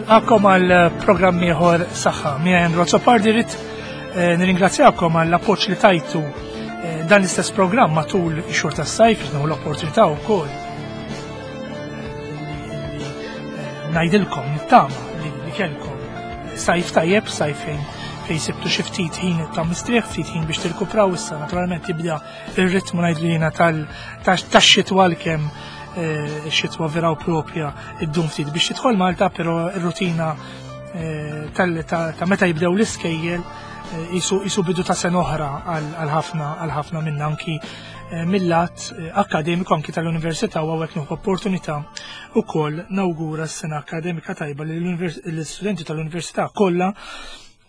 Nilqakom għal programm ieħor saħħa. Mija Andrew Azzopardi rrid eh, nirringrazzjakom għall appoġġ li tajtu eh, dan l-istess programm matul ix-xhur tas-sajf, nieħu l-opportunità wkoll eh, ngħidilkom nittama li kellkom sajf tajjeb, sajf fejn fejn sibtu xi ftit ħin ta' mistrieħ, ftit ħin biex tirkupraw issa naturalment tibda ir-ritmu ngħidlu jiena tax-xitwa l-kemm eh, xitwa vera u propja id-dum ftit biex tidħol Malta, però r-rutina eh, ta' meta jibdew l-iskejjel eh, jisu bidu ta' sena oħra għal ħafna għal ħafna minna anki mill-lat akademiku anki tal-università u għawek nieħu opportunità ukoll nawgura s-sena akademika tajba l-istudenti tal-università kollha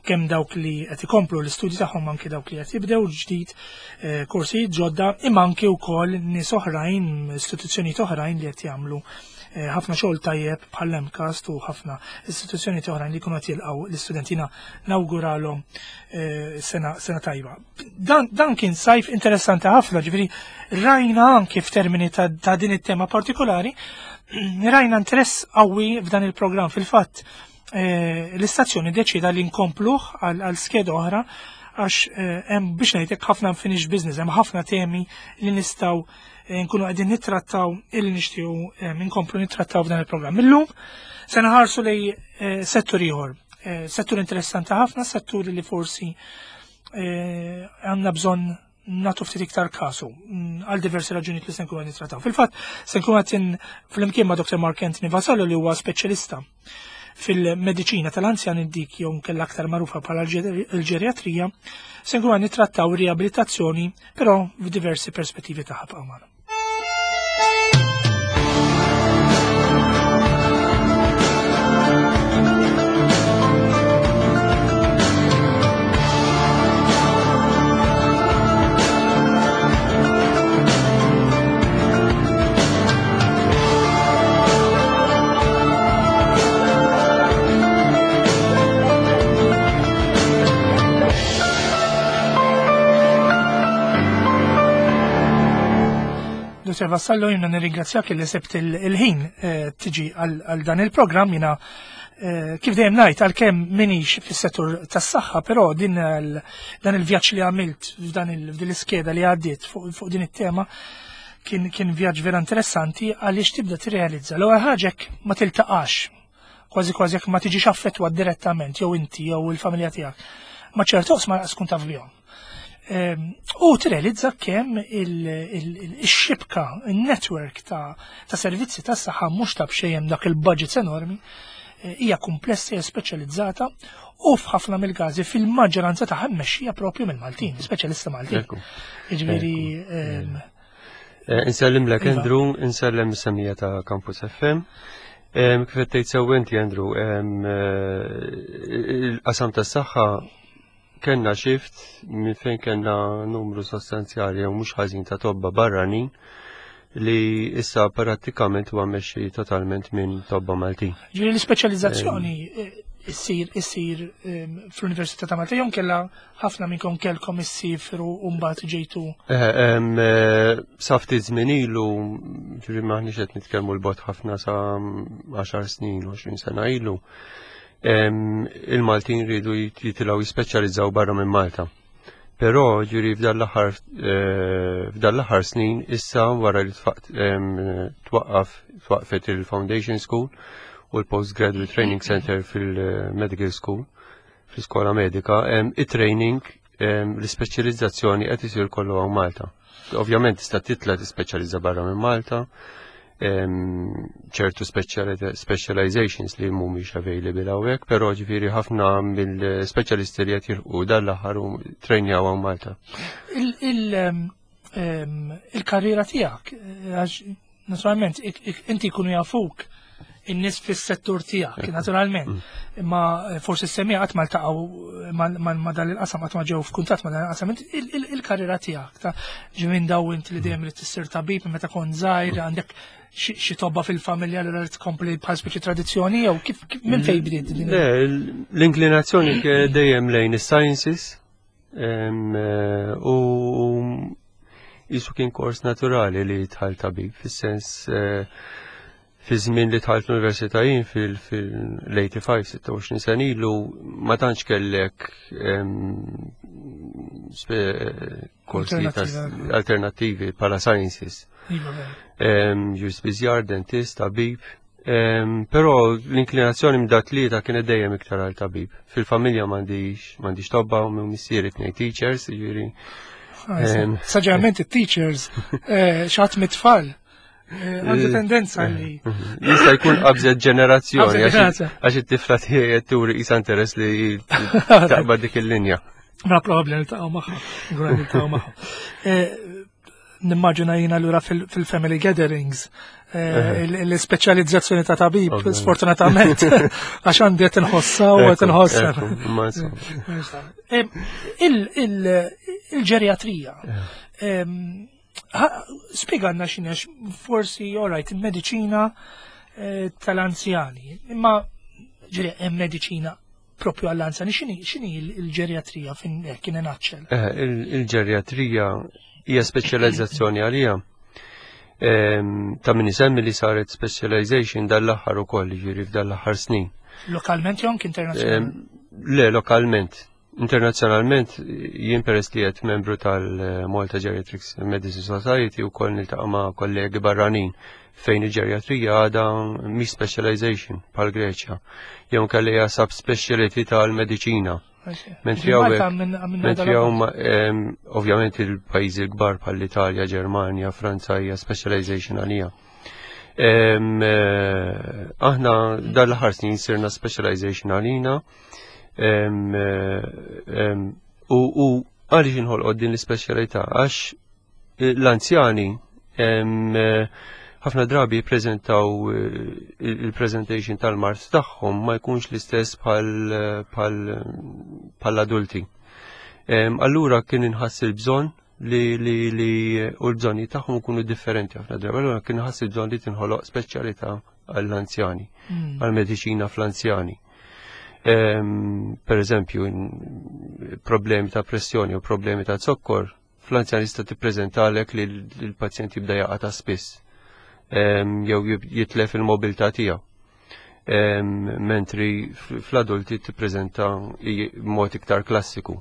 kemm dawk li qed ikomplu l-istudji tagħhom anki dawk li qed jibdew ġdid eh, korsijiet ġodda imma anki wkoll nies oħrajn, istituzzjonijiet oħrajn li qed jagħmlu eh, ħafna xogħol tajjeb bħal MCAST u ħafna istituzzjonijiet oħrajn li jkunu qed jilqgħu l-istudentina nawguralhom eh, sena, sena tajba. Dan, dan kien sajf interessanti ħafna, ġifieri rajna anki f'termini ta', ta din it-tema partikolari, rajna interess qawwi f'dan il-programm fil-fatt Eh, l-istazzjoni deċida li nkompluh għal skeda oħra għax eh, hemm biex ngħidlek ħafna unfinished business, hemm ħafna temi li nistgħu eh, nkunu qegħdin nittrattaw illi nixtiequ nkomplu nittrattaw f'dan il-programm. Illum se naħarsu lej settur ieħor, settur interessanti ħafna, settur li forsi għandna bżonn natu ftit iktar kasu mm, għal diversi raġunijiet li se nkunu nittrattaw. Fil-fatt, se nkunu qed flimkien ma' Dr. Mark Anthony Vasallo li huwa speċjalista fil-mediċina tal-anzjani dik jew nkella aktar magħrufa bħala l-ġeriatrija, se nkunu nittrattaw riabilitazzjoni però f'diversi perspettivi tagħha b'għamana. Dr. Vassallo, jina nirringrazzjak li sebt il-ħin eh, tiġi għal dan il-programm jina eh, kif dejjem ngħid għalkemm minix fis-settur tas-saħħa, però din dan il-vjaġġ li għamilt f'dan l-iskeda li għaddiet fuq din it-tema kien kien vjaġġ vera interessanti għaliex tibda tirrealizza l-ewwel ħaġa ma tiltaqax kważi kważi jekk ma tiġix affettwat direttament jew inti jew il-familja tiegħek. Ma ċertu ma tkun taf bihom. Ehm, u tirrealizza kemm il-xibka, il-network ta' servizzi ta' saħħa mhux ta' bxejjem dak il-budgets enormi, eh, hija komplessa, hija speċjalizzata u f'ħafna mill-każi fil-maġġoranza tagħha mmexxija propju mill-Maltin, speċjalista Maltin. Jiġifieri ehm, eh, Insellimlek iva. Andrew, insellem semija ta' Campus FM. Kif qed tgħid sew inti Andrew, eh, il-qasam tas-saħħa kellna shift minn fejn kellna numru sostanzjali jew mhux ħażin ta' tobba barranin li issa prattikament huwa mexxi totalment minn tobba Maltin. Ġifieri l-ispeċjalizzazzjoni eh, issir issir ehm, fl-Università ta' Malta jew kellha ħafna minnkom kellkom issifru u mbagħad ġejtu. Eh, ehm, eh, sa ftit żmien ilu, ġifieri m'aħniex qed nitkellmu l-bot ħafna sa 10 snin, 20 sena ilu. Il-Maltin rridu jitilgħu jispeċjalizzaw barra minn Malta. Però ġuri f'dan l-aħħar eh, f'dan l-aħħar snin issa wara li twaqqaf twaqfet il-Foundation School u l-Postgraduate Training Center fil-Medical School fl-iskola medika, it-training l-ispeċjalizzazzjoni qed isir kollu hawn Malta. Ovvjament tista' titla tispeċjalizza barra minn Malta, ċertu specializations li mhumiex available hawnhekk, però ġifieri ħafna mill-speċjalisti li qed jilqu dan l-aħħar u trejnjaw hawn Malta. Il-karriera tiegħek, għax naturalment inti jkunu jafuk in-nies fis-settur tiegħek, naturalment. Mm. Imma eh, forsi s-semija qatt ma ltaqgħu ma dan il-qasam qatt ma ġew f'kuntatt ma dan il-qasam. Il-karriera tiegħek ta' ġimin daw inti li dejjem li tissir tabib meta kont żgħir mm. għandek xi tobba fil-familja li rrid tkompli bħal speċi tradizzjoni jew kif minn fejn bdiet din? L-inklinazzjoni dejjem lejn is-sciences eh, u jisu kien kors naturali li tħal tabib, fis-sens eh, Fi żmien li dħalt l-università jien fil-85, 26 sena ilu, ma tantx kellek korsi alternattivi bħala sciences. Iva, Ġu spiżjar, dentist, tabib. Però l-inklinazzjoni minn dat tlieta kienet dejjem iktar għal tabib. Fil-familja m'għandix tobba u minn missieri tnejn teachers, jiġifieri. Ah, Saġġament it-teachers, eh, xatt mit-tfal. Eh, għandu tendenza li. Jista' jkun qabżet ġenerazzjoni għax it-tifla tiegħi qed turi qisha interess li taqbad dik il-linja. Ma probabbli niltaqgħu magħha, niltaqgħu magħha. Eh, nimmaġina jiena lura fil-family gatherings eh, l-ispeċjalizzazzjoni ta' tabib, sfortunatament, għax għandi qed inħossa u qed inħossa. Il-ġeriatrija. Spieganna x'inhi forsi, all right, il-mediċina eh, tal-anzjani, imma ġiri hemm mediċina propju għall-anzjani, x'inhi il-ġeriatrija fin eh, kien naċċel? Eh, il-ġeriatrija hija speċjalizzazzjoni għalija. Ta' min isemmi li saret specialization dal-aħħar ukoll, ġifieri f'dal-aħħar snin. Lokalment jew anke internazzjonalment? Le, lokalment. Internazzjonalment, jien peress li qed membru tal-Malta Geriatrics Medicine Society u koll niltaqa' ma' kollegi barranin fejn il-ġeriatrija għadha mhix specialization bħal Greċja. Jew kelli hija subspeciality tal-mediċina. Mentri hawn ovvjament il-pajjiżi l-kbar bħall-Italja, Ġermanja, Franza hija specialization għalija. Eh, aħna dal-aħħar snin sirna specialization għalina U għaliex inħolqot din l-ispeċjalità? Għax eh, l-anzjani eh, ħafna drabi jippreżentaw eh, il-presentation tal-mart tagħhom ma jkunx l-istess bħal-adulti. Allura kien inħass il-bżonn li li li u l-bżonni tagħhom ikunu differenti ħafna drabi. Allura kien inħass il-bżonn li tinħoloq speċjalità għall-anzjani, għall-mediċina fl-anzjani. Per eżempju, problemi ta' pressjoni u problemi ta' zokkor, fl-anzjan jista' tippreżentalek li l-pazjent jibda jaqa' ta' spiss jew jitlef il-mobilità tiegħu. Mentri fl-adulti tippreżenta mod iktar klassiku.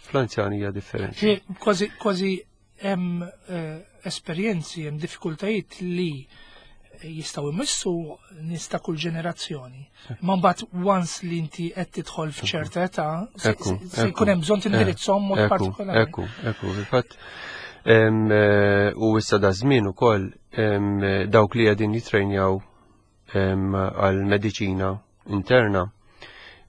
Fl-anzjani hija differenti. Kważi kważi hemm eh, esperjenzi, hemm diffikultajiet li jistgħu jmissu nies ta' kull ġenerazzjoni. Ma mbagħad once li inti qed tidħol f'ċerta età, se jkun hemm bżonn tindirizzhom mod partikolari. Ekku, ekku, fil-fatt eh, u issa da żmien ukoll dawk li qegħdin jitrejnjaw għal mediċina interna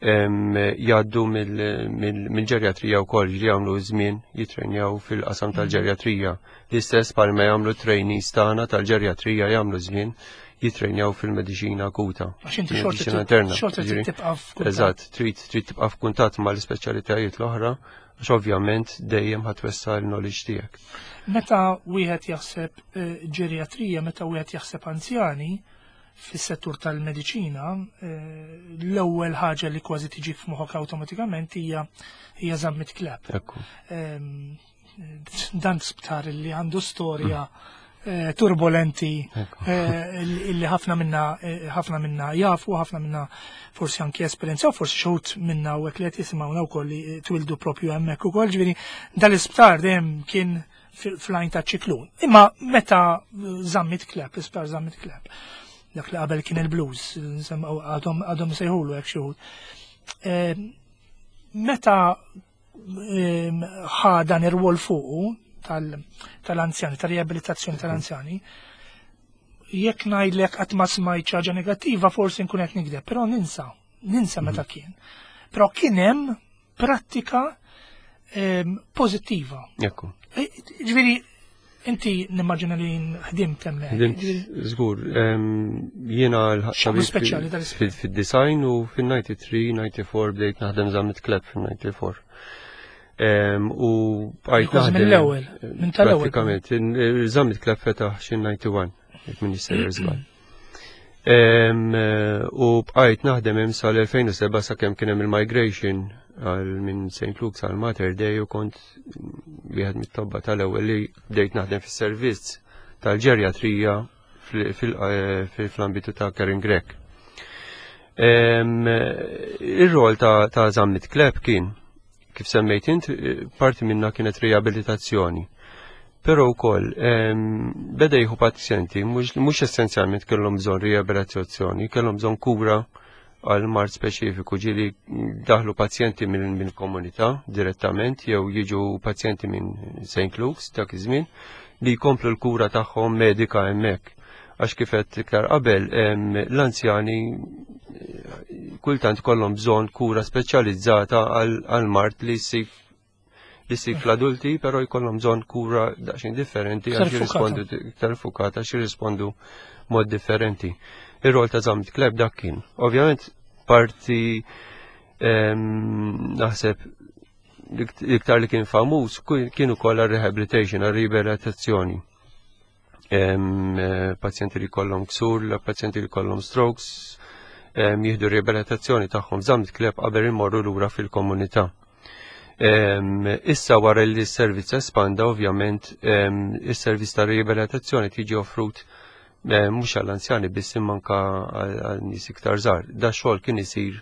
jgħaddu mill-ġerjatrija wkoll li jagħmlu żmien jitrenjaw fil-qasam tal-ġerjatrija. L-istess bħalma jagħmlu trainees tagħna tal-ġerjatrija jagħmlu żmien jitrenjaw fil-mediċina akuta. Għax inti xorta interna. Xorta trid tibqa' f'kuntatt. Eżatt, trid trid tibqa' f'kuntatt mal-ispeċjalitajiet l-oħra għax ovvjament dejjem ħatwessa l-knowledge tiegħek. Meta wieħed jaħseb eh, ġeriatrija, meta wieħed jaħseb anzjani, fis-settur tal-mediċina, eh, l-ewwel ħaġa li kważi tiġi f'moħħok awtomatikament hija hija Zammit Clapp. Ehm, dan sptar li għandu storja eh, turbolenti eh, li ħafna minna ħafna minna jafu, ħafna minna forsi anki esperjenza, forsi xogħod minna u hekk li qed jisimgħuna wkoll li twildu propju hemmhekk ukoll, ġifieri dal-isptar dejjem kien fl-għajn ta' ċiklun. Imma meta Zammit Clapp, l-isptar Zammit Clapp, dak li qabel kien il-blues, għadhom għadhom sejħulu hekk xi ehm, meta ehm, ħa dan ir-rwol fuqu tal-anzjani, tal-riabilitazzjoni tal-anzjani, jekk ngħidlek qatt ma smajt ħaġa negattiva forsi nkun qed nikdeb, però ninsa, ninsa meta kien. Però kien hemm prattika ehm, pożittiva. Ekku. E, ġifieri inti nimmaġina li ħdimt hemmhekk. Ħdimt żgur. Ehm, jiena l-ħadd speċjali tal Fid-design u fin-93, 94 bdejt naħdem Zammit Kleb fin-94. Ehm, u bqajt naħdem. Mill-ewwel, minn tal-ewwel. Pratikament, Zammit Kleb fetaħ xi 91, jekk minni sejjer żball. U bqajt naħdem hemm sal-2007 sakemm kien hemm il-migration għal minn St. Luke's għal Mater Dei u kont wieħed mit-tobba tal-ewwel li bdejt naħdem fis-servizz tal-ġerjatrija fl-ambitu ta' Karen Grech. Ir-rol ta' Zammit Kleb kien, kif semmejt int, parti minna kienet riabilitazzjoni. Però wkoll beda jieħu pazjenti mhux essenzjalment kellhom bżonn riabilitazzjoni, kellhom bżonn kura għal mard speċifiku, ġieli daħlu pazjenti mill-komunità direttament jew jiġu pazjenti minn St. Luke's dak iż-żmien li jkomplu l-kura tagħhom medika hemmhekk. Għax kif għedt iktar qabel, l-anzjani kultant kollhom bżonn kura speċjalizzata għal mard li ssib li ssib fl-adulti, però jkollhom bżonn kura daqsxejn differenti għax jirrispondu iktar fukata għax jirrispondu mod differenti. Ir-rol ta' Zammit Kleb dak kien. Ovvjament parti naħseb l-iktar li kien famuż kien ukoll għar-rehabilitation, għar-riabilitazzjoni. Pazjenti li kollhom ksur, pazjenti li kollhom strokes, jieħdu riabilitazzjoni tagħhom Zammit Kleb qabel imorru lura fil-komunità. Issa wara li s-servizz espanda, ovvjament, is-servizz ta' riabilitazzjoni tiġi offrut mhux għall-anzjani biss imma anka għal nies iktar żgħar. Da xogħol kien isir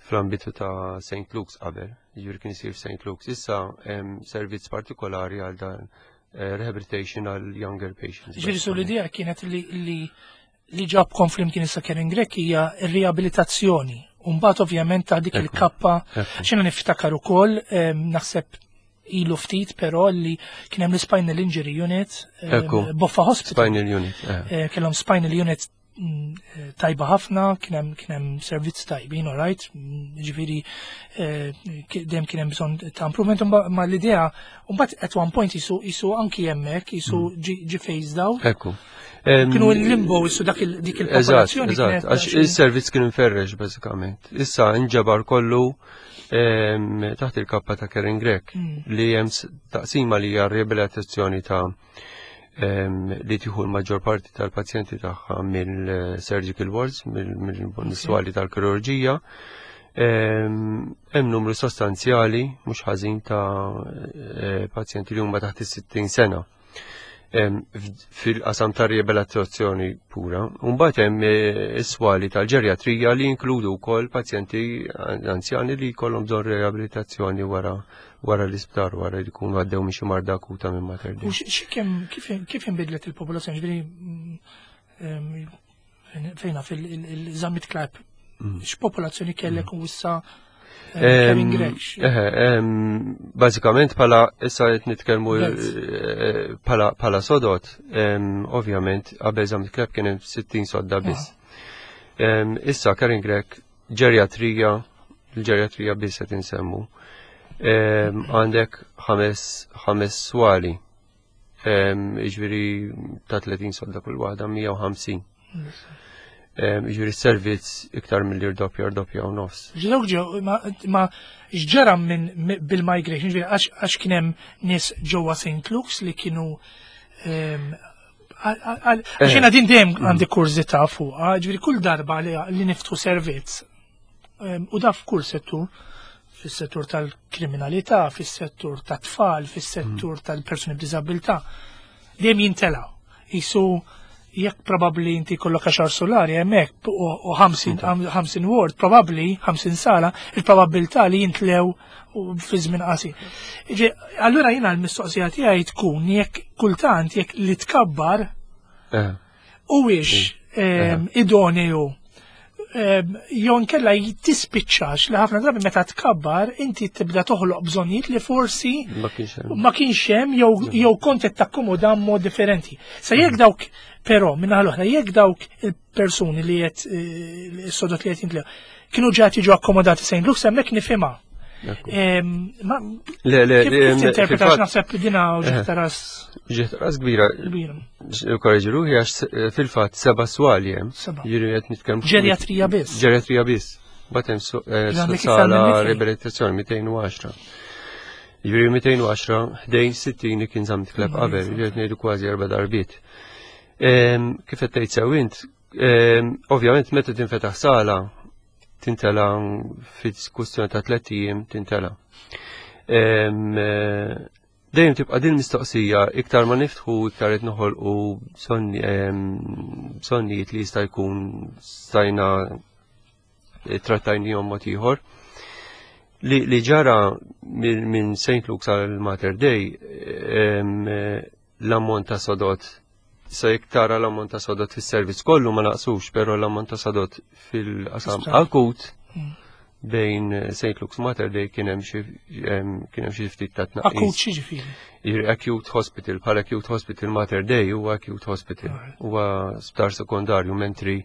fl-ambitu ta' St. Luke's qabel, jiġifieri kien isir St. Luke's. Issa hemm servizz partikolari għal dan rehabilitation għal younger patients. Ġifieri su l-idea kienet li ġabkom flimkien issa Karen Grech hija r-riabilitazzjoni. Umbagħad ovvjament ta' dik il-kappa x'inhu niftakar ukoll naħseb ilu ftit però li kien hemm l-Spinal Injury Unit, Boffa Hospital. Spinal Unit. Kellhom Spinal Unit tajba ħafna, kien hemm servizz tajbin, all right, ġifieri dejjem kien hemm bżonn ta' improvement, ma l-idea, mbagħad at one point jisu anki hemmhekk jisu ġi phased out. Kienu l-limbo jisu dak dik il-popolazzjoni. Eżatt, għax il-servizz kien inferrex bażikament. Issa nġabar kollu taħt il-kappa ta' Karen Grech li hemm taqsima li hija riabilitazzjoni ta' li tieħu l-maġġor parti tal-pazjenti tagħha mill-surgical wards, mill-swali tal-kirurġija. Hemm numru sostanzjali mhux ħażin ta' pazjenti li huma taħt is-60 sena fil-qasam ta' riabilitazzjoni pura. Mbagħad hemm is-swali tal-ġerjatrija li jinkludu wkoll pazjenti anzjani li jkollhom bżonn riabilitazzjoni wara l-isptar, wara li jkunu għaddew minn xi marda akuta minn Mater Dei. U kif inbidlet il-popolazzjoni? Ġifieri, fejna fil-Zammit Clapp, x'popolazzjoni kellek u issa Kevin Grech? Bażikament bħala issa qed nitkellmu bħala sodot, ovvjament qabel Zammit Clapp kien hemm 60 sodda biss. Issa Karen Grech ġerjatrija, il-ġerjatrija biss qed insemmu. Għandek ħames swali, jiġifieri ta' 30 sodda kull waħda, 150. Jiġifieri servizz iktar mill-li rdoppja, rdoppja u nofs. Ġdawk ġew, ma x'ġara minn bil-migration, ġifieri għax kien hemm nies ġewwa St. Luke's li kienu għax jiena din dejjem għandi kurżità fuqha, ġifieri kull darba li niftu servizz, u da f'kull settur, fis-settur tal-kriminalità, fis-settur tat-tfal, fis-settur tal-persuni b'diżabilità, dejjem jintela'. Isu jekk probabbli inti kollok 10 solari hemmhekk u 50 ward, probabbli 50 sala, il-probabilità li jintlew u fi żmien qasir. Allura jiena l-mistoqsija tiegħi tkun jekk kultant jekk li tkabbar huwiex idoneu jew inkella tispiċċax li ħafna drabi meta tkabbar inti tibda toħloq bżonnijiet li forsi Ma kienx hemm. ma kienx hemm jew kont qed takkomoda mod differenti. Sa jekk dawk però minn naħa l-oħra jekk dawk il-persuni li qed is-sodot li qed jintlew kienu ġa jiġu akkomodati St. Luke's hemmhekk nifhimha. Ma Le, le, kif le, tinterpretax fil-fatt naħseb dina u ġieħ ras Ġieħ ras kbira. Kbira. Korreġi ruħi għax fil-fatt 7 swali hemm. 7. Jiġifieri qed nitkellmu fuq Ġerjatrija biss. Ġerjatrija biss. Mbagħad hemm Ġifieri għandek iktar sala minn mitej. riabilitazzjoni 210. Jiġifieri 210 ħdejn 60 li kien Zammit Clapp qabel, jiġifieri qed ngħidu kważi 4 darbiet. Kif qed tgħid sew int, ovvjament meta tinfetaħ sala tintela fil-kwistjoni ta' 3 ijiem tintela. Dejjem tibqa' din mistoqsija iktar ma niftħu iktar qed noħolqu bżonnijiet li jista' jkun stajna trattajnihom mod ieħor. Li, li ġara minn St. Luke's għal Mater Dei l-ammont ta' sodot sa jekk tara l-ammont ta' sodot fis-servizz kollu ma naqsux, però l-ammont ta' sodot fil-qasam akut bejn St. Luke's Mater Dei kien hemm xi ftit ta' tnaqqis. Akut xi ġifieri? Acute Hospital, bħala Acute Hospital Mater Dei huwa Acute Hospital, huwa sptar sekondarju mentri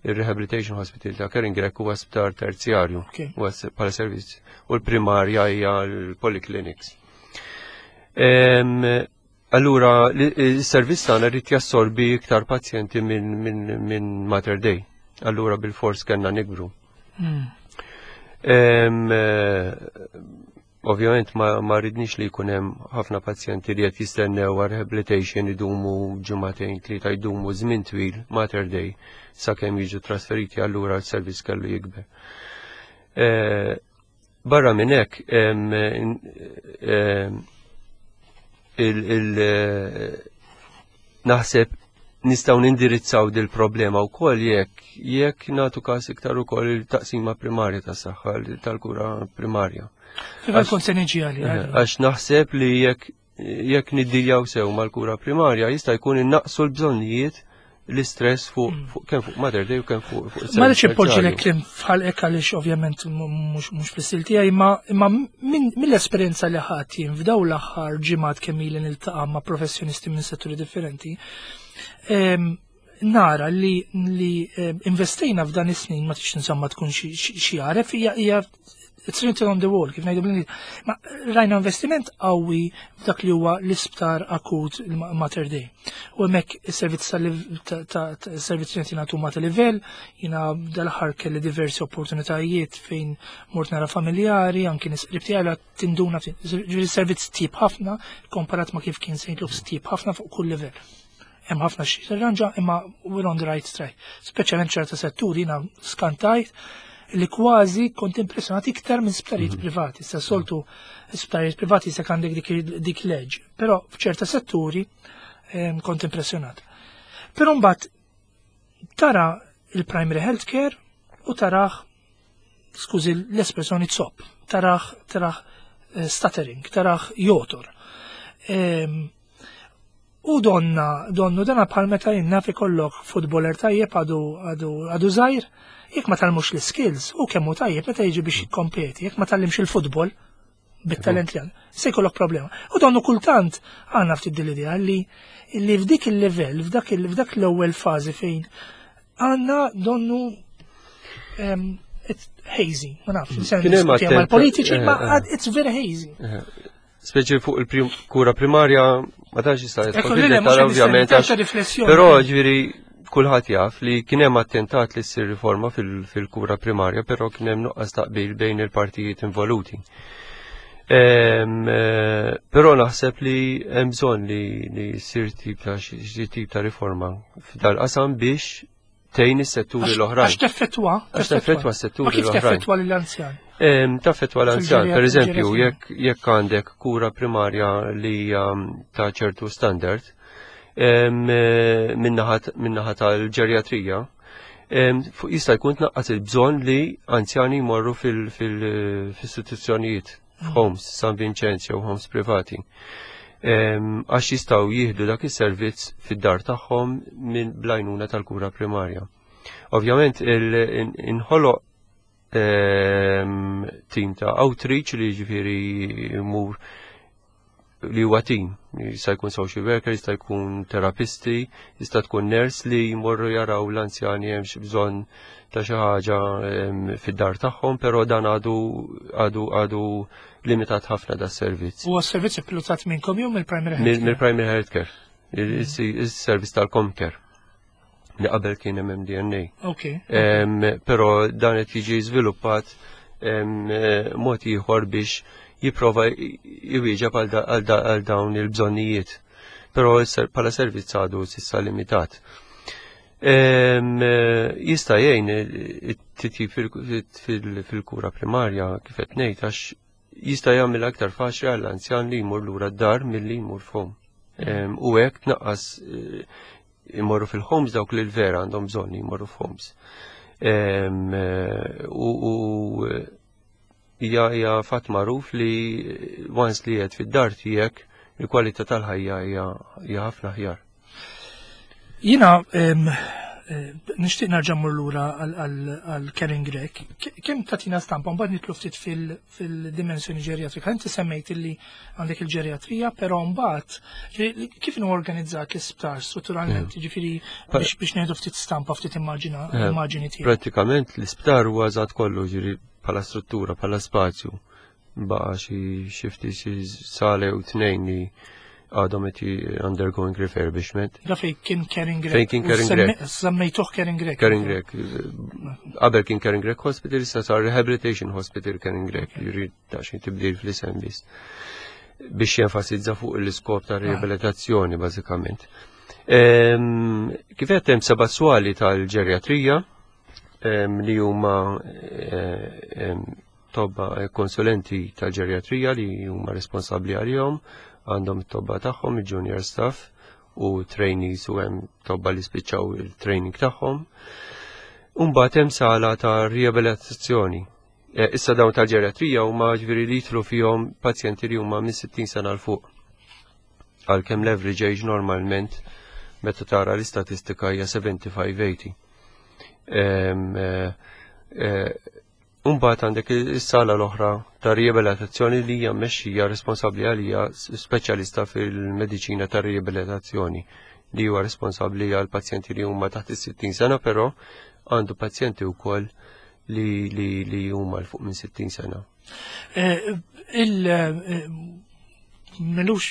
il-Rehabilitation Hospital ta' Karen Grech huwa sptar terzjarju, huwa bħala servizz u l-primarja hija l-polyclinics. Allura, il-servizz tagħna rrid jassorbi iktar pazjenti minn Mater Dei. Allura bil-fors kellna nikbru. Ovvjament ma rridniex li jkun hemm ħafna pazjenti li qed jistennew għal rehabilitation idumu ġimagħtejn tlieta jdumu żmien twil Mater Dei sakemm jiġu trasferiti allura l-servizz kellu jikber. Barra minn hekk naħseb nistgħu nindirizzaw dil problema wkoll jekk jekk nagħtu każ iktar ukoll il-taqsima primarja tas-saħħa tal-kura primarja. Għax naħseb li jekk jekk niddiljaw sew mal-kura primarja jista' jkun innaqsu l-bżonnijiet l-istress fuq mm. kemm fuq Mater Dei u kemm fuq fuq Ma rridx ipoġġi lek kliem f'ħalqek għaliex ovvjament mhux fl-istil tiegħi imma imma mill-esperjenza li ħadd jien f'dawn l-aħħar ġimgħat kemm ili niltaqa' ma' professjonisti minn setturi differenti. Nara li li investejna f'dan is-snin ma tix insomma tkun xi għaref hija it's written on the wall, kif ngħidu bl Ma rajna investiment qawwi f'dak li huwa l-isptar akut Mater Dei. U hemmhekk is-servizz tal-servizz li jingħatu ma' livell, jiena dal-aħħar kelli diversi opportunitajiet fejn mort nara familjari, anki nies qrib tiegħi tinduna ġifieri servizz tip ħafna komparat ma' kif kien St. Luke's tip ħafna fuq kull livell. Hemm ħafna xi tirranġa imma we're on the right track. Speċjalment ċerta setturi jiena skantajt li kważi kont impressjonat iktar minn sptarijiet privati. Sa soltu sptarijiet privati se għandek dik leġ, però f'ċerta setturi kont impressjonat. Però mbagħad tara il-primary healthcare u taraħ skużi l-espressjoni zopp, taraħ taraħ stuttering, taraħ jotor. U donna, donnu dana bħal meta jien naf ikollok futboler tajjeb għadu għadu għadu żgħir, jekk ma tgħallmux l-iskills u kemm hu tajjeb meta jiġi biex jikkompeti, jekk ma tgħallimx il-futbol bit-talent li għandu, se jkollok problema. U donnu kultant għandna ftit din l-idea li li f'dik il-livell, f'dak f'dak l-ewwel fażi fejn għandna donnu it's hazy, ma nafx, mal-politiċi, ma it's very hazy. Speċi fuq il-kura primarja ma tantx jista' jidħol fid-dettall ovvjament. Però ġifieri kulħadd jaf li kien hemm attentat li ssir riforma fil-kura primarja, però kien hemm nuqqas taqbil bejn il-partijiet involuti. Però naħseb li hemm bżonn li ssir tip ta' xi tip ta' riforma f'dal-qasam biex tgħin is-setturi l-oħrajn. Għax teffettwa? Għax teffettwa s-setturi l-oħrajn. Kif teffettwa lill-anzjan? Taffettwa l-anzjan, per eżempju, jekk għandek kura primarja li hija ta' ċertu standard, minnaħa tal-ġerjatrija, jista' jkun tnaqqas il-bżonn li anzjani jmorru fil-istituzzjonijiet, f'homes, San Vincenz jew homes privati. Għax jistgħu jieħdu dak is-servizz fid-dar tagħhom minn blajnuna tal-kura primarja. Ovvjament inħoloq team ta' outreach li ġifieri jmur li huwa team, jista' jkun social worker, jista' jkun terapisti, jista' tkun nurse li jmorru jaraw l-anzjani hemm xi bżonn ta' xi ħaġa fid-dar tagħhom, però dan għadu għadu għadu limitat ħafna da servizz. Huwa servizz ippilotat minnkom jew mill-Primary Health Mill-Primary Health Care, il-servizz tal-Comcare li qabel kien MMDNA. Ok. Però dan qed jiġi żviluppat mod ieħor biex jipprova jwieġeb għal dawn il-bżonnijiet. Però bħala servizz għadu s'issa limitat. Jista' jgħin it-titjib fil-kura primarja kif qed ngħid għax Jista' jagħmel aktar faċli għall-anzjan li jmur lura d-dar milli jmur f'home. U hekk tnaqqas imorru fil-homes dawk li l-vera għandhom bżonn jmorru f'homes. U hija fatt magħruf li once li qed fid-dar tiegħek, il-kwalità tal-ħajja hija ħafna aħjar. Jiena nixtieq nerġa' mmur lura għal Caring Grech. Kemm tagħtina stampa, mbagħad nidħlu ftit fil-dimensjoni ġeriatrika? Inti semmejt illi għandek il-ġeriatrija, però mbagħad kif inhu organizzat l-isptar strutturalment, ġifieri biex ngħidu ftit stampa, ftit immaġina, immaġini tiegħek. Prattikament l-isptar huwa eżatt kollu, ġifieri bħala struttura, bħala spazju. Baqa xi ftit xi sale u tnejn li għadhom qed undergoing refurbishment. Da fej kien Caring Grech. Fejn kien Caring Grech. Semmejtuh Caring Grech. Caring Grech. Qabel kien Caring Grech Hospital, issa sar Rehabilitation Hospital Caring Grech, jiġifieri ta' xi tibdil fl-isem biss. Biex jenfasizza fuq l-iskop ta' riabilitazzjoni bażikament. Kif qed hemm seba' swali tal-ġerjatrija li huma tobba konsulenti tal-ġerjatrija li huma responsabbli għalihom, għandhom it-tobba tagħhom, il-junior staff u trainees, u hemm tobba li spiċċaw il-training tagħhom. Umbagħad hemm sala ta' riabilitazzjoni. Issa dawn tal-ġeriatrija huma ġifieri li jidħlu fihom pazjenti li huma minn 60 sena 'l fuq. Għalkemm l-average age normalment meta tara l-istatistika hija 75-80. Umbagħad għandek is-sala l-oħra ta' riabilitazzjoni li hija mmexxija, responsabbli għalija speċjalista fil-mediċina ta' riabilitazzjoni li huwa responsabbli għal pazjenti li huma taħt is-60 sena, però għandu pazjenti wkoll li huma 'l fuq minn 60 sena. M'ilux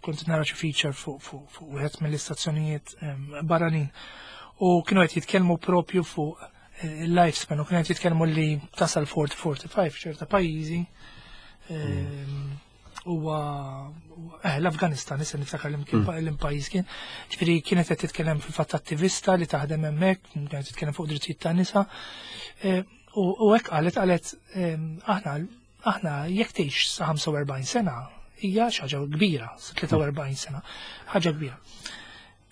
kont nara xi feature fuq wieħed mill-istazzjonijiet barranin u kienu qed jitkellmu propju fuq il-lifespan u kienu qed jitkellmu li tasal 40-45 ċerta pajjiżi, huwa l-Afganistan, issa niftakar li kien l-pajjiż kien. Ġifieri kienet qed titkellem fil-fatt attivista li taħdem hemmhekk, kienet titkellem fuq drittijiet tan nisa. U hekk qalet aħna jekk tgħix sa 45 sena hija xi ħaġa kbira, sa 43 sena, ħaġa kbira.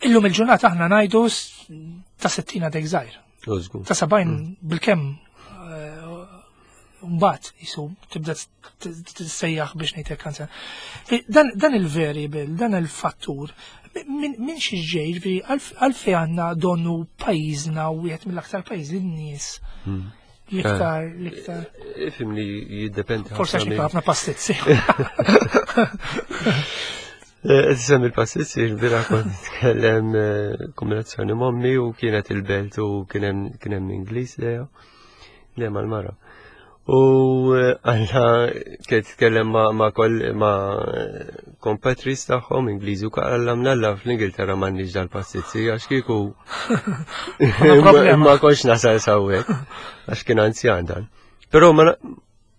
Illum il-ġurnata aħna ngħidu ta' 60 għadek żgħir. Ta' 70 bilkemm, mbagħad jisu tibda tissejjaħ biex ngħidlek kanzer. Dan il-variable, dan il-fattur, minn xi ġej, ġifieri għalfejn għandna donnu pajjiżna u wieħed mill-aktar pajjiż li n-nies l-iktar, l-iktar. Ifhimni, jiddependi. Forse għax ħafna pastizzi. Semmi il-pastizzi, il-bira kont nitkellem kombinazzjoni m'ommi u kienet il-belt u kien hemm Ingliż leja, le mal-mara. U għalla kienet titkellem ma' compatriots tagħhom Ingliżi u għalla mnalla fl-Ingilterra m'għandniex dal-pastizzi għax kieku ma kontx nasal s'hawnhekk, għax kien anzjan dan. Però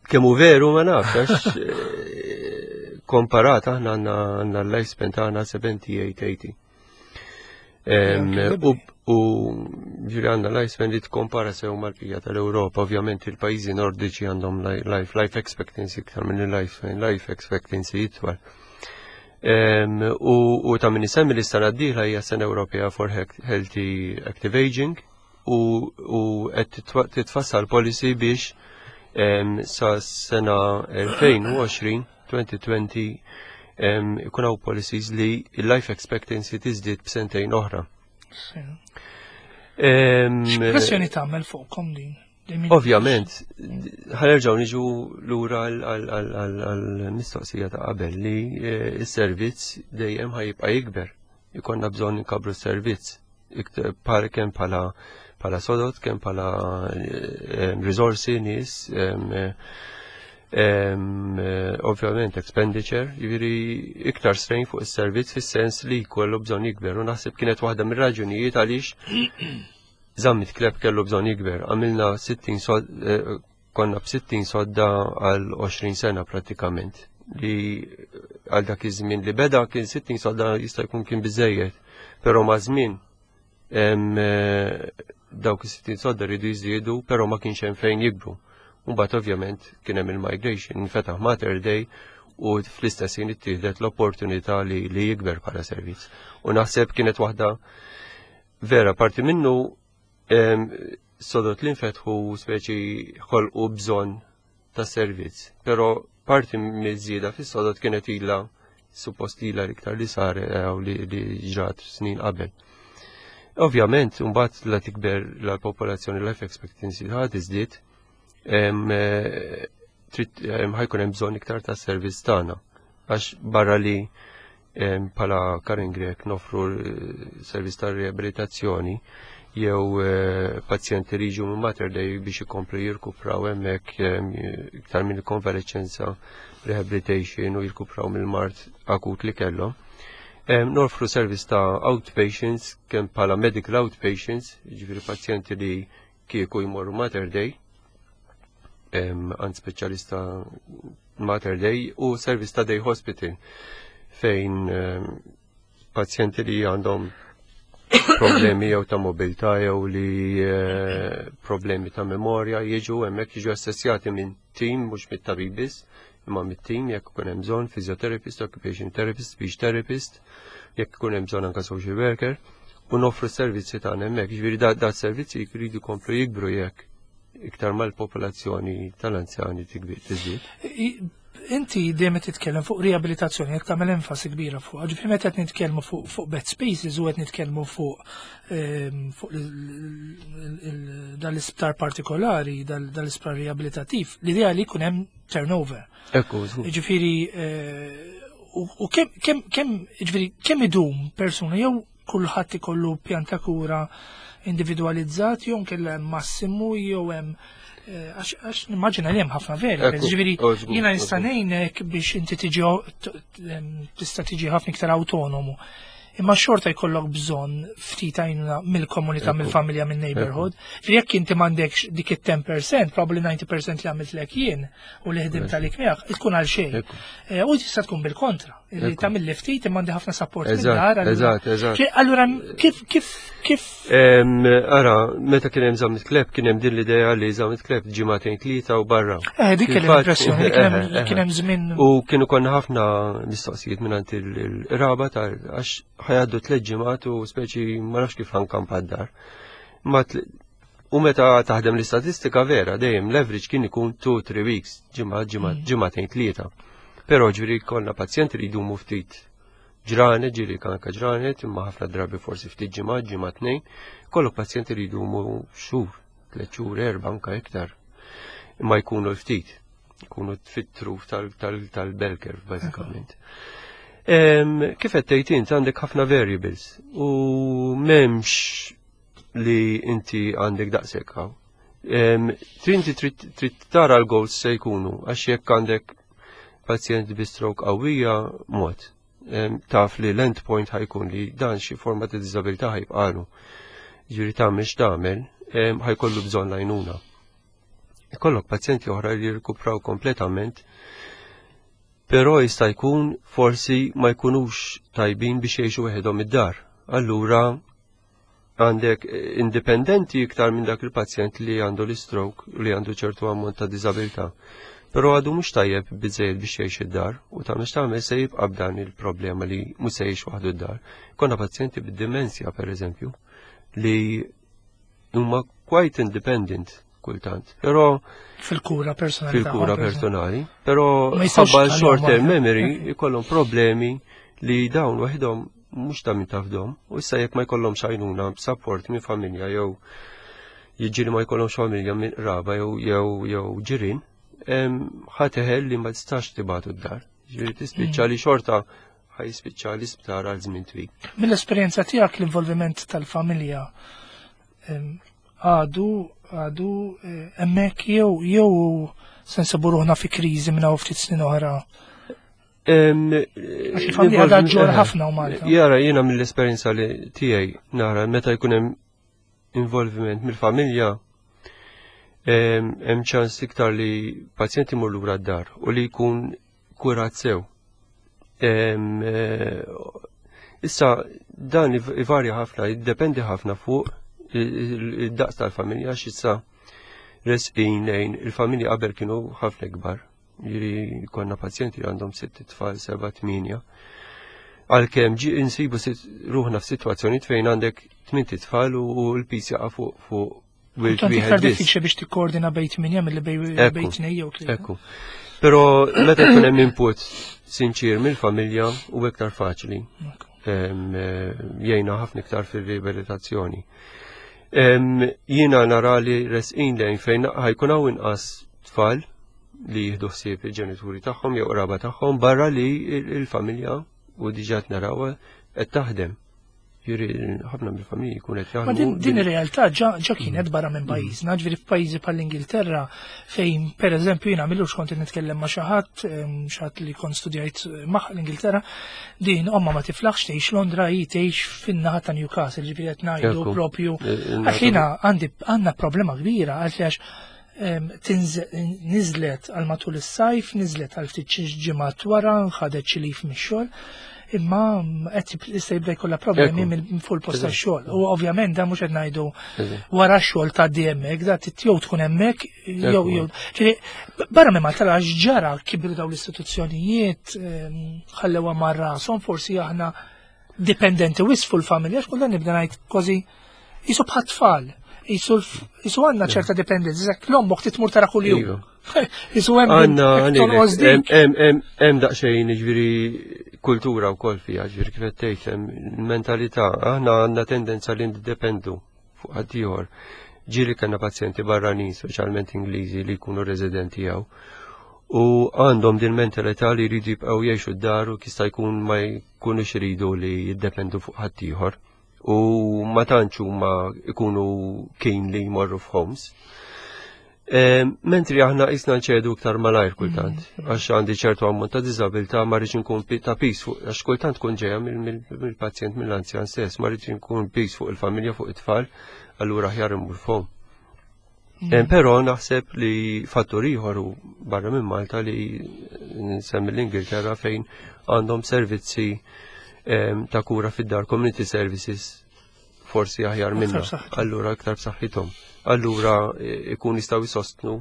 kemm hu veru ma nafx, għax komparat aħna għandna l-lifespan tagħna 78-80. U ġifieri għandna lifespan li tkompara sew mal-bqija tal-Ewropa. Ovvjament il-pajjiżi nordiċi għandhom life expectancy iktar minn il-lifespan, life expectancy itwal. U ta' min isemmi li sena d-dieħla hija sena Ewropea for Healthy Active Aging u qed titfassal policy biex sa sena 2020, 2020, ikun hawn policies li il-life expectancy tiżdied b'sentejn oħra. X'pressjoni tagħmel fuqkom din? Ovvjament, ħa nerġgħu niġu lura għal-mistoqsija ta' qabel li s-servizz dejjem ħa jibqa' jikber. Ikollna bżonn nkabru s-servizz kemm bħala sodod, kemm bħala risorsi, nies, ovvjament expenditure, jiġifieri iktar strain fuq is-servizz fis-sens li jkollu bżonn jikber. U naħseb kienet waħda mir-raġunijiet għaliex Zammit Clapp kellu bżonn jikber. Għamilna 60 sod, konna b'60 sodda għal 20 sena pratikament. Li għal dak iż-żmien li beda kien 60 sodda jista' jkun kien biżejjed, però ma' żmien dawk is-60 sodda rridu jiżdiedu, però ma kienx hemm fejn jikbru. Mbagħad ovvjament kien hemm il-migration, infetaħ Mater Dei u fl-istess ħin ittieħdet l-opportunità li, li jikber bħala servizz. U naħseb kienet waħda vera parti minnu sodot li nfetħu speċi ħolqu bżonn ta' servizz, però parti miż-żieda fis-sodot kienet ilha suppost ilha l-iktar li sar eh, u li, li ġrat snin qabel. Ovvjament, mbagħad la tikber la popolazzjoni life expectancy ħad iżdied, eh, trid ħajkun hemm bżonn iktar ta' servizz tagħna. Għax barra li bħala Karin Grek nofru eh, servizz ta' riabilitazzjoni jew eh, pazjenti li jiġu minn Mater Dei biex ikomplu jirkupraw hemmhekk iktar minn konvalescenza rehabilitation u jirkupraw mill-mart akut li kellhom. Nofru servizz ta' outpatients kemm bħala medical outpatients, jiġifieri pazjenti li kieku jmorru Mater Dei għand speċjalista Mater Dei u servizz ta' Day Hospital fejn pazjenti li għandhom problemi jew ta' mobilità jew li eh, problemi ta' memorja jiġu hemmhekk jiġu assessjati minn tim mhux mit-tabib biss, imma mit-tim jekk ikun hemm bżonn physiotherapist, occupation therapist, speech therapist, jekk ikun hemm bżonn anke social worker u noffru s-servizzi tagħna hemmhekk. Ġifieri da, da servizzi jridu jkomplu jikbru jekk iktar mal-popolazzjoni tal-anzjani tikbir tiżdied. Inti dejjem qed titkellem fuq riabilitazzjoni, qed tagħmel enfasi kbira fuq. Ġifieri meta qed nitkellmu fuq fuq bed spaces u qed nitkellmu fuq ehm, fuq dal-isptar partikolari, dal-isptar riabilitattiv, l-idea li jkun hemm turnover. Ekku, Ġifieri eh, u kemm kemm kemm ġifieri kemm idum persuna jew kulħadd ikollu pjan ta' kura individwalizzat jew nkella hemm massimu jew hemm eh, għax nimmaġina li hemm ħafna veri. Ġifieri jiena nista' ngħinek biex inti tiġi tista' tiġi ħafna iktar autonomu. Imma xorta jkollok bżonn ftit għajnuna mill-komunità, mill-familja, mill-neighborhood. Jekk inti m'għandekx dik it-10%, probably 90% li għamilt lek jien u li ħdimt għalik miegħek, tkun għal xejn. Eh, u tista' tkun bil-kontra, li tagħmel li ftit imma għandi ħafna support mid-dar. Eżatt, eżatt. Allura kif kif kif Ara, meta kien hemm Zammit Kleb kien hemm din l-idea li Zammit Kleb ġimagħtejn tlieta u barra. Eh, dik kien l-impressjoni li kien hemm żmien. U kienu konna ħafna mistoqsijiet minn il-raba ta' għax ħajaddu tliet ġimgħat u speċi ma nafx kif ħankampa d-dar. Ma U meta taħdem l-istatistika vera, dejjem l-average kien ikun 2-3 weeks, ġimgħa, ġimgħa, mm. ġimgħatejn tlieta. Però ġifieri konna pazjenti li jdumu ftit ġranet, ġieli kanka ġranet, imma ħafna drabi forsi ftit ġimgħa, ġimgħa tnejn, kollok pazjenti li jdumu xhur, tliet xhur, erba' anka iktar. Imma jkunu ftit, jkunu fit-truf tal-bell curve bażikament. Kif qed tgħid int għandek ħafna variables u m'hemmx li inti għandek daqshekk hawn. Trinti trid tara l-goals se jkunu għax jekk għandek pazjent bi stroke qawwija mod. Taf li l-end point ħajkun li dan xi forma ta' diżabilità ħajbqalu. Ġifieri tagħmel x'tagħmel, ħajkollu bżonn l-għajnuna. Ikollok pazjenti oħra li jirkupraw kompletament Però jista' jkun forsi ma jkunux tajbin biex jgħixu weħidhom id-dar. Allura għandek indipendenti iktar minn dak il-pazjent li għandu l-stroke u li għandu ċertu ammont ta' diżabilità. Però għadu mhux tajjeb biżejjed biex jgħix id-dar u ta' mhux tagħmel se jibqa' b'dan il-problema li mhux se jgħix waħdu d-dar. Konna pazjenti bid-dimensja pereżempju li huma quite independent kultant. Però fil-kura personali. Fil-kura personali, però ħabba short term memory jkollhom problemi li dawn waħedhom mhux ta' min tafdhom u issa jekk ma jkollhomx għajnuna b'support minn familja jew jiġri ma jkollhomx familja minn qraba jew jew jew ġirien, ħateħel li ma tistax tibatu d-dar. Ġifieri tispiċċa li xorta ħajspiċċa l-isptar għal żmien twil. Mill-esperjenza tiegħek l-involviment tal-familja għadu għadu eh, hemmhekk jew jew se nsibu ruħna fi kriżi minn hawn ftit snin oħra. Għax il-familja għadha ġor ħafna u Malta. Jara jiena mill-esperjenza li tiegħi nara meta jkun hemm involviment mill-familja hemm ċans iktar li pazjenti imur lura d-dar u li jkun kurat sew. Eh, issa dan ivarja ħafna, jiddependi ħafna fuq id-daqs tal-familja x'issa. Resqin lejn il-familji qabel kienu ħafna ikbar. Ġifieri konna pazjenti li għandhom sitt tfal, seba', tmienja. Għalkemm ġi insibu ruħna f'sitwazzjoni fejn għandek tmint tfal u l-pis jaqa' fuq fuq wild Tant iktar diffiċli biex tikkoordina bejn tmienja milli bejn tnejn jew tlieta. Ekku. Però meta jkun hemm input sinċir mill-familja u iktar faċli. Eh, jgħinna ħafna iktar fir-riabilitazzjoni. Jiena nara li resqin lejn fejn ħajkun hawn inqas tfal li jieħdu ħsieb il-ġenituri tagħhom jew qraba tagħhom barra li il-familja u diġà narawha qed taħdem. Ġifieri ħafna mill-familji jkun qed jaħdmu. Ma din ir-realtà ġa kienet barra minn pajjiżna, ġifieri f'pajjiżi bħall-Ingilterra fejn pereżempju jiena milux kont nitkellem ma' xi ħadd, xi ħadd li kont studjajt ma' l-Ingilterra, din omma ma tiflaħx tgħix Londra hi tgħix fin-naħa ta' Newcastle, ġifieri qed ngħidu propju. Għax jiena għandi għandna problema kbira għax niżlet għal matul is-sajf, niżlet għal ftit xi ġimgħat wara, ħadet xi lif mix-xogħol, imma qed issa jibda jkollha problemi minn fuq il-post tax-xogħol. U ovvjament dan mhux qed ngħidu wara x-xogħol tgħaddi hemmhekk, da jew tkun hemmhekk jew jew. Ġifieri barra minn Malta għax ġara kibru dawn l-istituzzjonijiet ħallewha mar rashom forsi aħna dipendenti wisq fuq il-familja, għax kultant nibda ngħid kważi jisu bħat tfal, jisu għandna ċerta dipendenza, zek l-ommok titmur tara kuljum. Iva. Jisu hemm għandna hemm daqsxejn jiġifieri kultura wkoll fiha, ġifieri kif qed tgħid hemm mentalità, aħna għandna tendenza li niddependu fuq ħaddieħor. Ġieli kellna pazjenti barranin, speċjalment Ingliżi li jkunu residenti hawn. U għandhom din mentalità li jridu jibqgħu jgħixu d-dar u jista' jkun ma jkunux iridu li jiddependu fuq ħaddieħor. U ma tantx huma jkunu kien li jmorru f'homes. Mentri aħna qisna nċedu iktar malajr kultant, għax għandi ċertu ammont ta' diżabilità ma rridx inkun ta' pis fuq, għax kultant tkun ġejja mill-pazjent mill-anzjan stess, ma rridx inkun pis fuq il-familja fuq it-tfal, allura aħjar immur f'home. Però naħseb li fattur ieħor u barra minn Malta li nsemmi l-Ingilterra fejn għandhom servizzi ta' kura fid-dar, community services forsi aħjar minna. Allura iktar b'saħħithom. Allura ikun jistgħu jsostnu